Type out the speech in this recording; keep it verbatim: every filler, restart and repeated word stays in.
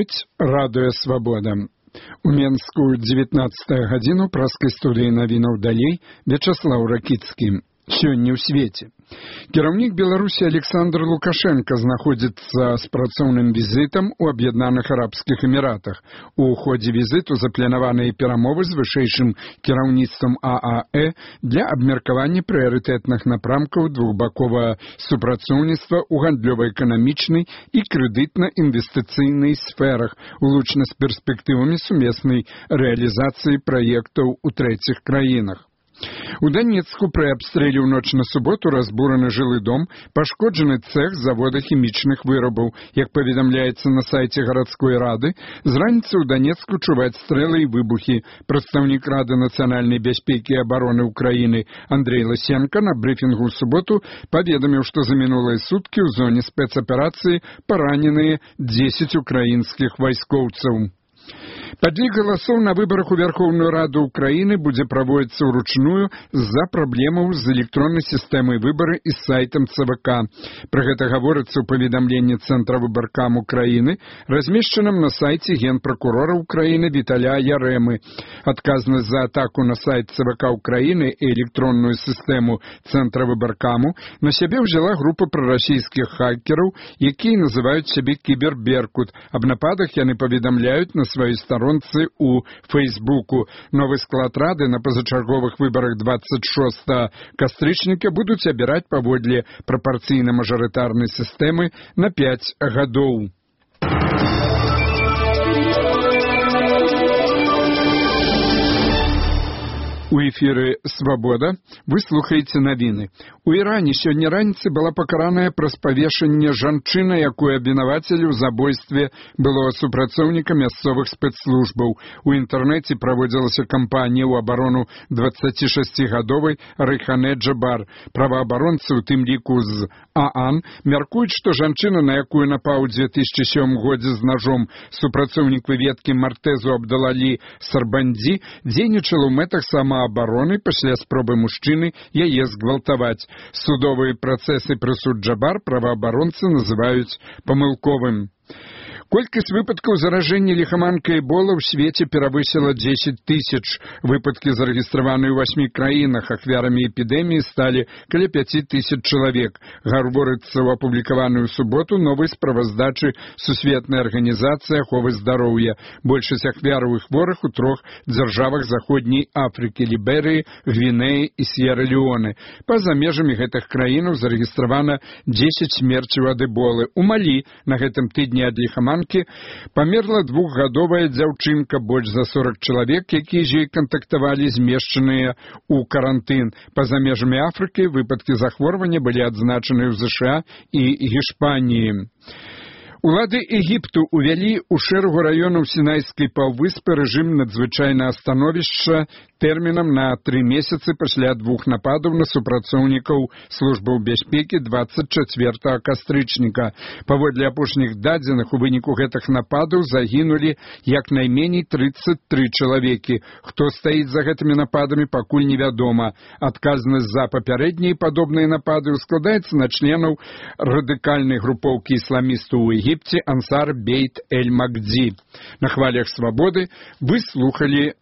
гучыць радыё «Свабода». У Менску дзевятнаццатая гадзіну праскай студыі навінаў далей Вячаслаў Ракіцкі. Сёння ў свеце. Кіраўнік Беларусі Александр Лукашенко знаходзіцца з працоўным візітам у Аб'яднаных Арабскіх Эміратах. У ходзе візіту запланаваныя перамовы з вышэйшым кіраўніцтвам А А Э для абмеркавання прыярытэтных напрамкаў двухбаковага супрацоўніцтва ў гандлёва-эканамічнай і крэдытна-інвестыцыйнай сферах, улучна з перспектывамі сумеснай рэалізацыі праектаў у трэціх краінах. У Данецку пры абстрэле ў ноч на суботу разбураны жылы дом, пашкоджаны цэх завода хімічных вырабаў. Як паведамляецца на сайце гарадской рады, з раніцы ў Данецку чуваць стрэлы і выбухі. Прадстаўнік Рады нацыянальнай бяспекі і абароны ўкраіны Андрей Лысенко на брыфінгу ў суботу паведаміў, што за мінулыя суткі ў зоне спецаперацыі параненыя дзесяць украінскіх вайскоўцаў. Падлік галасоў на выбарах у Вярхоўную Раду Украіны будзе праводзіцца ўручную з-за праблемаў з электроннай сістэмай выбары і сайтам Цэ Вэ Ка. Пра гэта гаворыцца ў паведамленні Цэнтра выбаркам Украіны, размешчаным на сайце генпракурора Украіны Віталя Ярэмы. Адказнасць за атаку на сайт Цэ Вэ Ка Украіны і электронную сістэму Цэнтра выбаркаму на сябе ўзяла група прарасійскіх хакераў, якія называюць сябе «Кіберберкут». Аб нападах яны паведамляюць на сваёй старонцы у Фейсбуку. Новы склад Рады на пазачарговых выбарах двадцать шостага кастрычніка будуць абіраць паводле прапарцыйна-мажарытарнай сістэмы на пяць гадоў. У эфіры «Свабода» вы слухаеце навіны. У Іране сёння раніцай была пакараная праз павешанне жанчына, якую абвінавацілі ў забойстве былога супрацоўніка мясцовых спецслужбаў. У інтэрнэце праводзілася кампанія ў абарону дваццацішасцігадовай Рэйхане Джабар. Праваабаронцы, у тым ліку з ААН, мяркуюць, што жанчына, на якую напаў у дзве тысячы сёмым годзе з ножом супрацоўнік выведкі Мартезу Абдалалі Сарбандзі, дзейнічала ў мэтах сама абароны пасля спробы мужчыны яе згвалтаваць. Судовыя працэсы прысуд Джабар праваабаронцы называюць памылковым. Колькасць выпадкаў заражэння ліхаманкай Эбола ў свеце перавысіла дзесяць тысяч. Выпадкі зарэгістраваныя ў васьмі краінах. Ахвярамі эпідэміі сталі каля пяці тысяч чалавек. Гаворыцца ў апублікаваную ў суботу новай справаздачы Сусветнай арганізацыі аховы здароўя. Большасць ахвяраў і хворых у трох дзяржавах заходняй Афрыкі – Ліберыі, Гвінеі і С'ера-Леоне. Па-за межамі гэтых краінаў зарэгістравана дзесяць смерцяў ад эболы. У Малі на гэтым тыдні ад ліхаманкі памерла двухгадовая дзяўчынка, больш за сорок чалавек, якія з ёй кантактавалі, змешчаныя ў карантын. Па-за межамі Афрыкі выпадкі захворвання былі адзначаны ў Зэ Ша А і Гішпаніі. Улады Егіпту увялі ў шэрагу раёнаў Сінайскай паўвыспы рэжым надзвычайнага становішча тэрмінам на тры месяцы пасля двух нападаў на супрацоўнікаў службаў бяспекі двадцать чацвёртага кастрычніка. Паводле апошніх дадзеных, у выніку гэтых нападаў загінулі як найменей трыццаць тры чалавекі. Хто стаіць за гэтымі нападамі, пакуль невядома. Адказнасць за папярэднія падобныя напады складаецца на членаў радыкальнай групоўкі ісламістаў у Егіпце Ансар Бейт Эль Магдзі. На хвалях «Свабоды» вы слухали